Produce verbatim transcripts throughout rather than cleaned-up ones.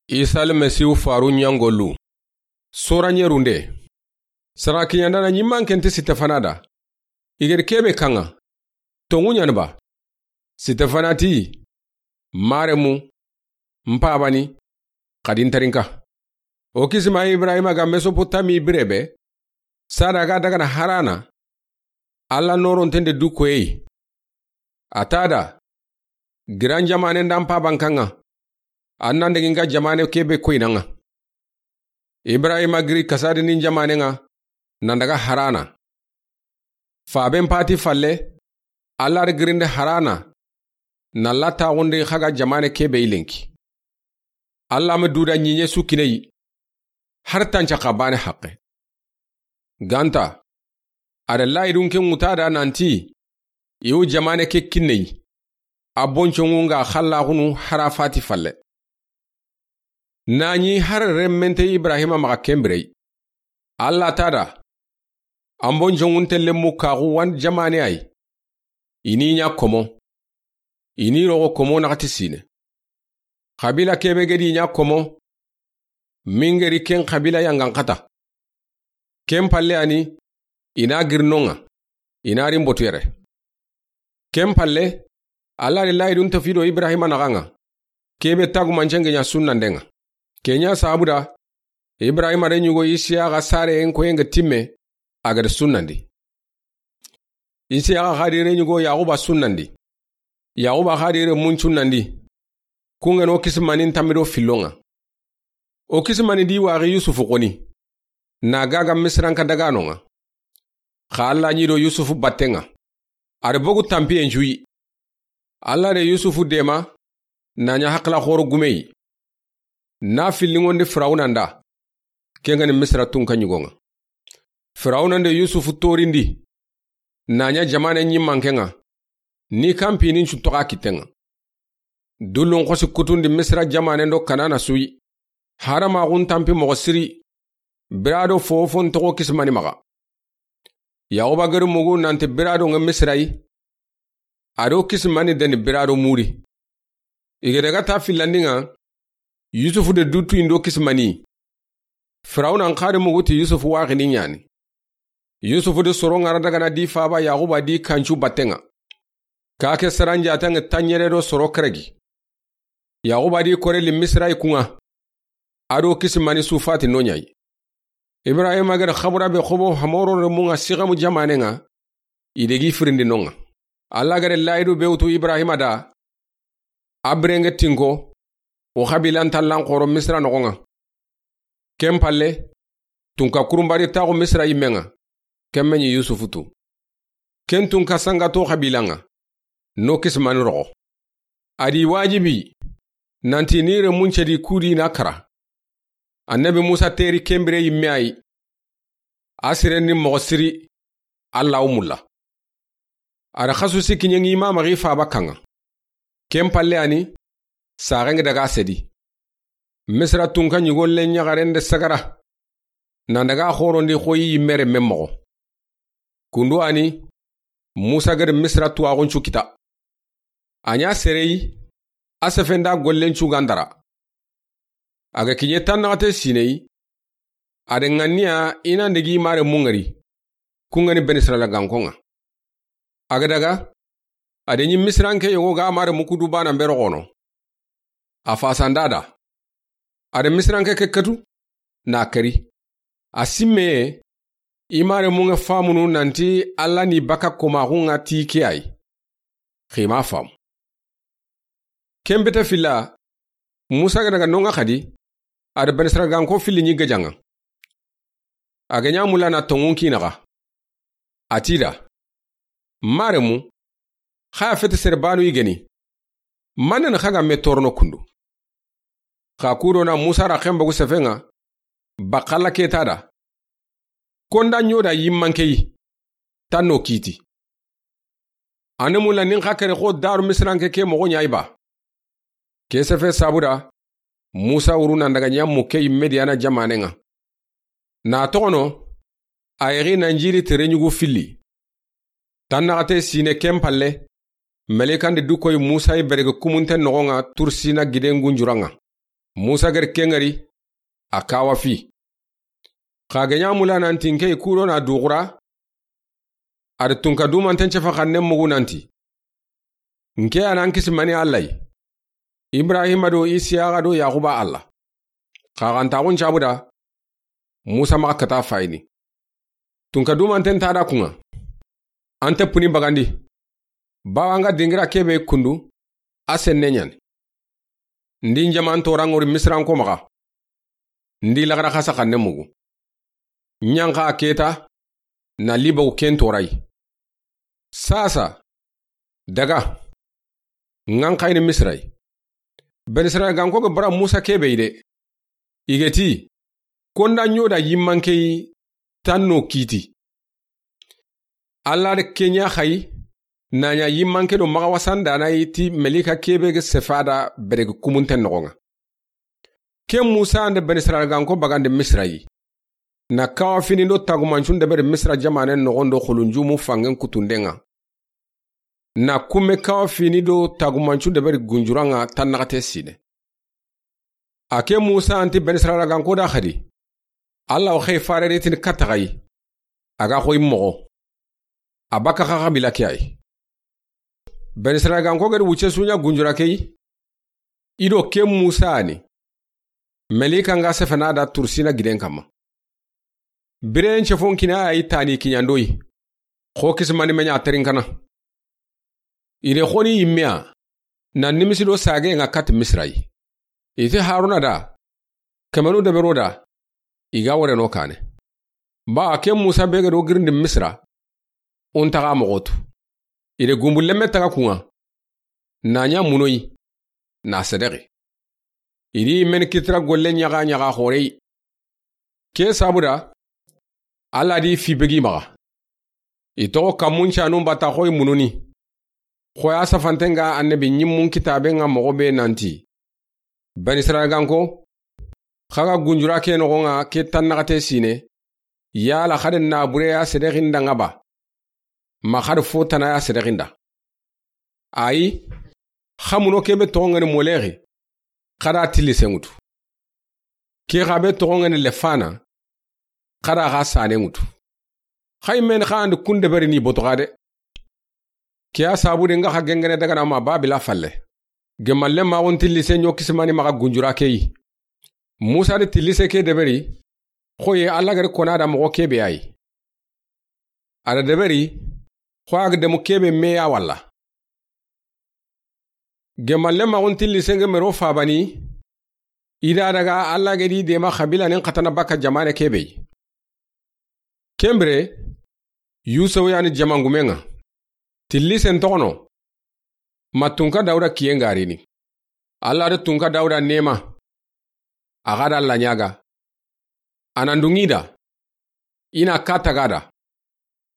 Isa Almasihu faru ɲangolu. Sora ɲerunde. Sara kiɲandana ɲimmanke nti Sitefana da. I geri kebe kaŋa. Tonŋu ɲani ba? Sitefana ti, maremu, n pabani, xadi n tarinka. O kisima Ibrahima ga Mesopotami birebe, sada ga dagana Harana, Alla noronten de du koyey. A ta da, giran jamaane nda n paban kaŋa, an nan degi n ga jamaane kebe koyinaŋa. Ibrahima giri kasadini n jamaane ŋa, nan daga Harana. Faben pati falle, Alla da girinde Harana, na la taxundi xa ga jamaane kebe i lenki. Alla ma duda ɲiɲe su kineyi, har tanca xa bane haqe. Ganta, a da layidun ke ŋuta da nanti, i wu jamaane ke kinneyi, a bonconŋu nga xallaxunu hara fati falle. Na ɲi har remmente Ibrahima maxa kenbirey. Alla ta da, an bonconŋun telle mu kaxu wan jamaane ay. I ni ɲa komo. I ni roxo komo naxati sine. Xabila kebe gedi ɲa komo. Mingeri ken xabila yangan xata. Ken palle ani, i na girnonŋa, i na rimbotu yere. Ken palle, Alla de layidun tafido Ibrahima naxaŋa. Kebe tagumancenge ɲa sunnandenŋa. Ke ɲa sabuda, Ibrahima de ɲugo Isiyaxa sare en koyenge timme, a gada sunnandi. Isiyaxa xadi re ɲugo Yaxuba sunnandi. Yaxuba xadi re mun sunnandi. Kungeno kisimanin tammido fillonŋa. O kisimani di waxi Yusufu xoni. Na gaga Misiranka daganonŋa. Xa Alla ɲido Yusufu battenŋa. A da bogu tampiyen cuyi. Alla de Yusufu dema, na ɲa haqila xoro gumeyi. Na fillinŋondi Firawuna nda. Kengani Misira tunka ɲugonŋa. Firawuna nde Yusufu torindi. Na ɲa jamaane ɲimmankenŋa. Ni kampini n cuntoxa kittenŋa. Dullun xosi kutundi Misira jamaane ndo Kanana suyi. Haramaxun tampi moxo siri. Birado fofon toxo kisimani maxa. Yaxuba geri mugu nanti birado ŋa Misirayi. A do kisimani deni birado muri. I ga daga ta fillandinŋa, Yusufu de dutu indo kisimani. Firawuna n xadi mugu ti Yusufu waxini ɲani. Yusufu de soro ŋara dagana di faba Yaxuba di kancu battenŋa. Kake saranjatenŋa tanɲere do soro keregi. Yaxuba di kore li Misirayi kunŋa. A do kisimani sufati no ɲayi. Ibrahima gada xabura be xobo Hamoro remunŋa Sixemu jamaanenŋa, i degi firindi nonŋa. Alla gada layidu be wutu Ibrahima da, a birenge tinko, o xabilan tallan xoro Misira noxonŋa. Ken palle, tunka kurunbari taxu Misira yimmenŋa, ken meɲi Yusufu tu. Ken tunka sangato xabilanŋa, no kisimani roxo. A di wajibi, nanti ni remuncedi kudi na kara. Annabi Musa teri kenbire yimme ayi. A siren ni moxo siri, Alla wo mulla. A da xasu sikkiɲen ŋi mamaxi faba kanŋa. Ken palle ani, saxenŋe daga sedi. Misira tunka ɲigolle ɲaxaren de sagara. Nan daga xorondi xoyi yimmere men moxo. Kundu ani, Musa gada Misira tuwaxun cu kita. A ɲa sereyi, a sefenda gollen cu gandara. A ga kiɲe tannaxate sineyi, a da ŋanniya i nan degi mare mungari, kungani Beni Israila gankonŋa. A ga daga, a da ɲi Misiranke yogo ga mare mukudu bana mbero xono. A fasanda da. A da Misiranke ke katu, na kari. A simmeye, i mare munŋe famunu nanti Alla ni baka komaxunŋa ti ke ayi. Xima famu. Ken bete filla, Musa ga daga nonŋa xadi, a da Beni Israila ganko filli ɲi gajanŋa. A ga ɲa mulla na tonŋun kinaxa. A ti da, maremu, xa ya fete sere banu i geni. Manen xa ga me torono kundu. Xa kudo na Musa ra xembagu sefenŋa, bakalla keta da. Konda ɲoda yimmankeyi, tanno kiti. Ane mulla nin xa kere xo daru Misiranke ke moxo ɲayi ba. Ke sefe sabuda, Musa wuru nan daga ɲa mukke yi Mediyana jamaanenŋa. Na toxono, a yexi nan jiri tere ɲugu filli. Tannaxate sine ken palle, melikandi du koyi Musa yi berege kumunte noxonŋa Tursina giden gunjuranŋa. Musa gari ke ŋari, a kawa fi. Xa ga ɲa mula nanti n ke yi kudo na duxura, a da tunka dumanten cefa xannen mugu nanti, n ke ya na n kisi mani Alla yi, Ibrahima do Isiyaxa do Yaxuba Alla. Xa xa nta xun cabuda, Musa maxa kata fayini. Tunka dumanten ta da kuŋa. An te puni bagandi. Bawa n ga dingira kebe kundu, a senne ɲani. Ndi n jaman toran ŋori Misiranko maxa. Ndi laxara xasa xanne mugu. Ɲanxa keta, na libaw ken torayi. Sasa, daga. Ŋan xayini Misira yi. Bani Israila ganko ga bara Musa kebe yi de. I ga ti, konda ɲoda yimmanke yi tanno kiti. Alla da ke ɲa xayi, na ɲa yimmanke do maxa wasandana yi ti melika kebe ga sefada berege kumunten noxoŋa. Ke Musa nda Bani Israila ganko bagandi Misira yi. Na kawa fini do tagumancun deberi Misira jamanen noxon do xulunjumu fangen kutundenŋa. Na kume kawa fini do tagumancu deberi gunjuranŋa tannaxate sine. A ke Musa anti Bani Israila ganko da xadi. Alla wa xey fare ritini katta xayi. A ga xoyi moxo. A baka xa xabila ke ayi. Bani Israila ganko gedi wuce suɲa gunjura ke yi. I do ke Musa ni. Melika nga sefena da tursina giden kamma. Biren cefon kina ayi tani kiɲandoyi. Xo kisimani me ɲa terinkana. I de xoni yimmeya, na nimisi do sage nga kati Misira yi. I ti Haruna da, kemenu debero da, i ga wore no kane. Ba ke Musa be ga do girindi Misira, un taga moxotu. I de gumbu lemme taga kuŋa, na ɲa munoyi, na sedexi. I di men kitira golle ɲaxa ɲaxa xoreyi. Ke sabuda, Alla di fi begi maxa. I toxo kammun canun bata xoyi mununi. Xoya safantenga annabi ɲimmun kitabe nga moxo be nanti. Bani Israila ganko, xa ga gunjura ke noxoŋa ke tannaxate sine, yala xade na bure ya sedexinda nga ba. Ma xade fo tana ya sedexinda. Ayi, xamuno kebe toxoŋani Molexi, xada tilli senŋutu. Ke xa be toxoŋani Lefana, xada xa sane ŋutu. Xay men xa andi kun deberi ni boto xa de. Ke ya sabu de nga xa gengene daga na ma Babila falle. Gemalle maxun tilli se ɲo kisimani maxa gunjura ke yi. Musa de tilli se ke deberi, xoye Alla gari kona da moxo kebe ayi. A da deberi, xo a ga demu kebe meya walla. Gemalle maxun tilli senge mero fabani, i da daga Alla gedi dema xabila nin xatana baka jamane kebe yi. Kembire, Yusufu yani jamangumenŋa. Tilli sen toxono, ma tunka Dawuda kiyen garini. Alla da tunka Dawuda nema. A xa da Alla ɲaga. A nan dungi da. I na ka taga da.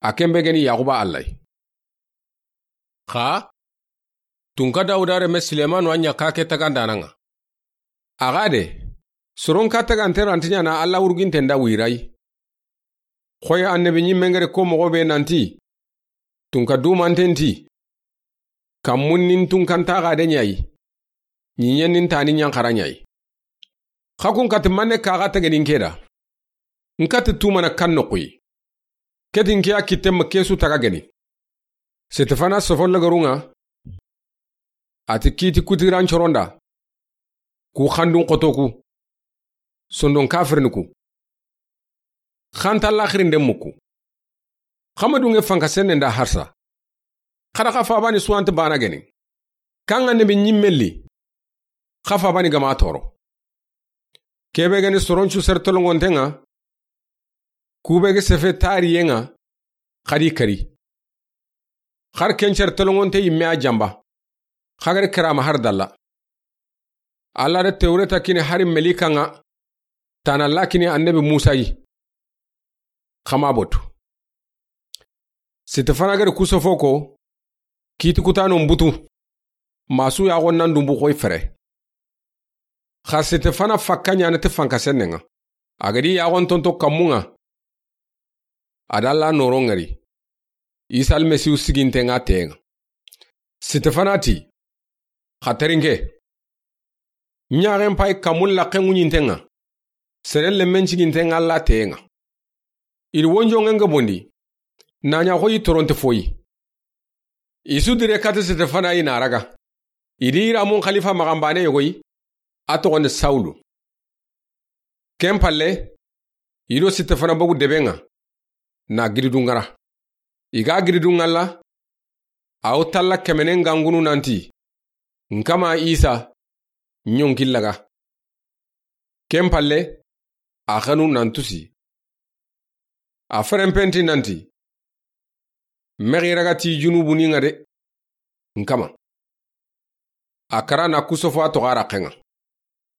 A kembe geni Yaxuba Alla yi. Xa, tunka Dawuda reme Silemanu a ɲa ka ke tagandananŋa. A xa de, soron ka tagante ranti ɲana Alla wurginten da wirayi. Xoye annabi ɲimmengere ko moxo be nanti, tunka dumanten ti, kammun nin tunkantaxa de ɲayi, ɲiɲen nin tani ɲanxara ɲayi. Xa kun kati manne kaxa tegenin ke da. N kati tumana kan noxuyi. Ketin ke ya kitte ma kesu taga geni. Setefana sofo lagarunŋa. A ti kiti kutiran coronda. Ku xandun xotoku. Sondon kafirniku. Xanta laxirinde muku. Xamadunŋe fanka senne nda harsa. Xada xa fabani suwanti bana geni. Kanga nebi ɲimmelli. Xa fabani gama toro. Kebe geni soroncu ser tolongontenŋa. Kube ge sefe tariyenŋa. Xadi kari. Xar kencer tolongonte yimme a jamba. Xagari karama har dalla. Alla da Tewreta kini hari melikanŋa. Tana lakini annabi Musa yi. Xama botu. Setefana gari kusofo ko. Kiti kutano mbutu. Masu yaxon nan dumbu xoy fere. Xa Setefana fakka ɲana ti fanka sennenŋa. A gadi yaxon tonto kammunŋa. A da Alla noron ŋari. Isa Almasihu sigintenŋa teyenŋa. Setefana ti. Xa terinke. Ɲaxen pay kamun laqqen ŋuɲinten ŋa, seren lemmen ciginten ŋa Alla teyen ŋa. I di wonjonŋen ga bondi, na ɲa xoyi toronte foyi. I su dire kati Sitefana yi na raga. I di i ramun xalifa maxanbane yogoyi, a toxondi Sawulu. Ken palle, i do Sitefana bogu deben ŋa, na giridu ŋara. I ga giridu ŋalla, a wo talla kemenen gangunu nanti, N kama Isa, ɲonki laga. Ken palle, a xanu nan tusi. A ferenpenti nanti, Mexi raga ti junubuni ŋa de, N kama. A kara na kusofo a toxo a raqqen ŋa.